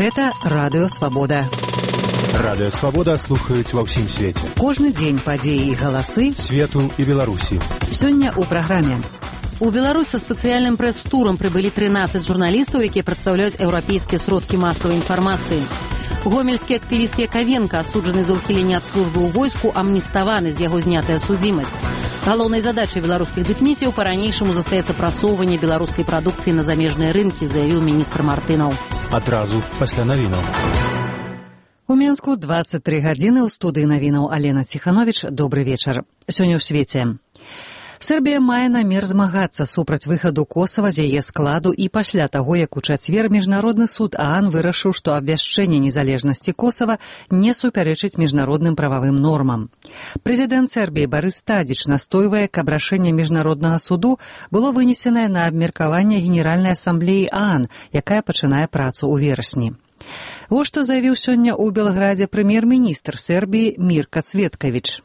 Гэта Радыё Свабода. Радыё Свабода слухаюць ва ўсім свеце. Кожны дзень падзеі і галасы свету і Беларусі. Сёння ў праграме. У Беларусь са спецыяльным прэс-турам прыбылі 13 журналістаў, якія прадстаўляюць еўрапейскія сродкі масавай інфармацыі. Гомельскі актывіст Яковенко, асуджаны за ўхіленне ад службы ў войску, амніставаны, з яго знятая судзімасць. Галоўнай задачай беларускіх дыпмісіяў па-ранейшаму застаецца прасоўванне беларускай прадукцыі на замежныя рынкі, заявіў міністр Мартынаў. Адразу пасля навінаў. У Менску 23 гадзіны, ў студыі навінаў Алена Ціхановіч. Добры вечар. Сёння ў свеце. Сербія мае намер змагацца супраць выхаду Косава з яе складу і пасля таго, як у чацвер Міжнародны суд ААН вырашыў, што абвяшчэнне незалежнасці Косава не супярэчыць міжнародным прававым нормам. Прэзідэнт Сербіі Барыс Тадзіч настойвае, каб рашэнне Міжнароднага суду было вынесенае на абмеркаванне Генеральнай асамблеі ААН, якая пачынае працу ў верасні. Вось што заявіў сёння ў Белградзе прэм'ер-міністр Сербіі Мирко Цветкович.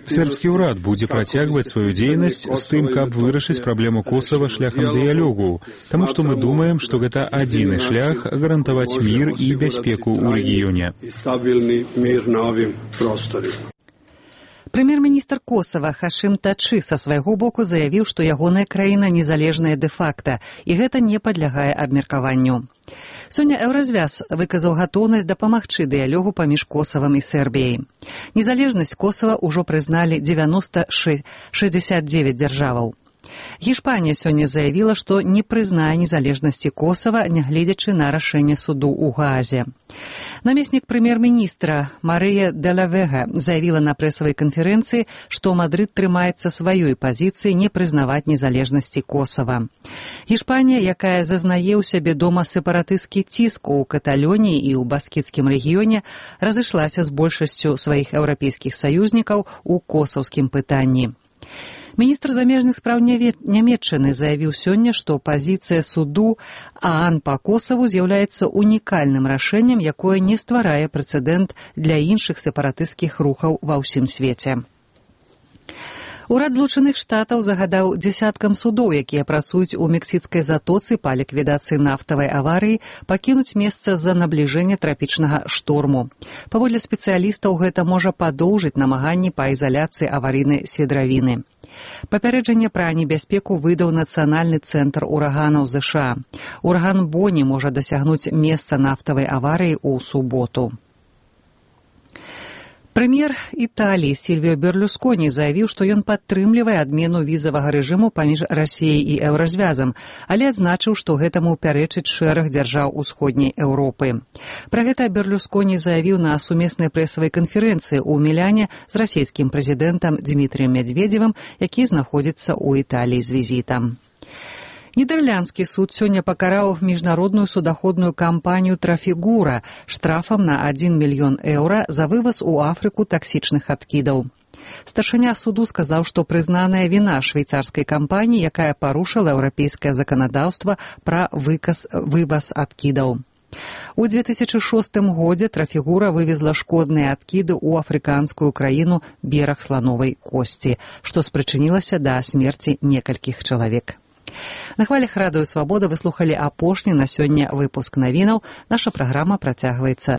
Сербскі ўрад будзе працягваць сваю дзейнасць з тым, каб вырашыць праблему Косава шляхам дыялогу, таму што мы думаем, што гэта адзіны шлях гарантаваць мір і бяспеку ў рэгіёне. Прэм'ер-міністр Косава Хашым Тачы са свайго боку заявіў, што ягоная краіна незалежная дэ-факта, і гэта не падлягае абмеркаванню. Сёння Еўразвяз выказаў гатоўнасць дапамагчы дыялогу паміж Косавам і Сербіяй. Незалежнасць Косава ўжо прызналі 69 дзяржаваў. Гішпанія сёння заявіла, што не прызнае незалежнасці Косава, нягледзячы на рашэнне суду ў Гаазе. Намеснік прэм'ер-міністра Марыя де ла Вега заявіла на прэсавай канферэнцыі, што Мадрыд трымаецца сваёй пазіцыі не прызнаваць незалежнасці Косава. Гішпанія, якая зазнае ў сябе дома сепаратысцкі ціск у Каталоніі і ў баскіцкім рэгіёне, разышлася з большасцю сваіх еўрапейскіх саюзнікаў у косаўскім пытанні. Міністр замежных спраў Нямецчыны заявіў сёння, што пазіцыя суду ААН па Косаву з'яўляецца унікальным рашэннем, якое не стварае прэцэдэнт для іншых сепаратысцкіх рухаў ва ўсім свеце. Урад Злучаных Штатаў загадаў дзясяткам судоў, якія працуюць у мексіцкай затоцы па ліквідацыі нафтавай аварыі, пакінуць месца з-за набліжэння трапічнага шторму. Паводле спецыялістаў, гэта можа падоўжыць намаганні па ізаляцыі аварыйнай сведравіны. Папярэджанне пра небяспеку выдаў Нацыянальны цэнтр ураганаў ЗША. Ураган Боні можа дасягнуць месца нафтавай аварыі ў суботу. Прэм'ер Італіі Сільвіо Берлусконі заявіў, што ён падтрымлівае адмену візавага рэжыму паміж Расіяй і Еўразвязам, але адзначыў, што гэтаму пярэчыць шэраг дзяржаў усходняй Еўропы. Пра гэта Берлусконі заявіў на сумеснай прэсавай канферэнцыі ў Міляне з расійскім прэзідэнтам Дмітрыем Медведзевым, які знаходзіцца ў Італіі з візітам. Нідерландскі суд сёння пакараў міжнародную судаходную кампанію «Трафігура» штрафам на 1 мільён еўра за вываз у Афрыку таксічных адкідаў. Старшыня суду сказаў, што прызнаная віна швейцарскай кампаніі, якая парушыла еўрапейскае заканадаўства пра вываз адкідаў. У 2006 годзе «Трафігура» вывезла шкодныя адкіды ў афрыканскую краіну бераг слановай косці, што спрычынілася да смерці некалькіх чалавек. На хвалях Радыё Свабода вы слухалі апошні на сёння выпуск навінаў. Наша праграма працягваецца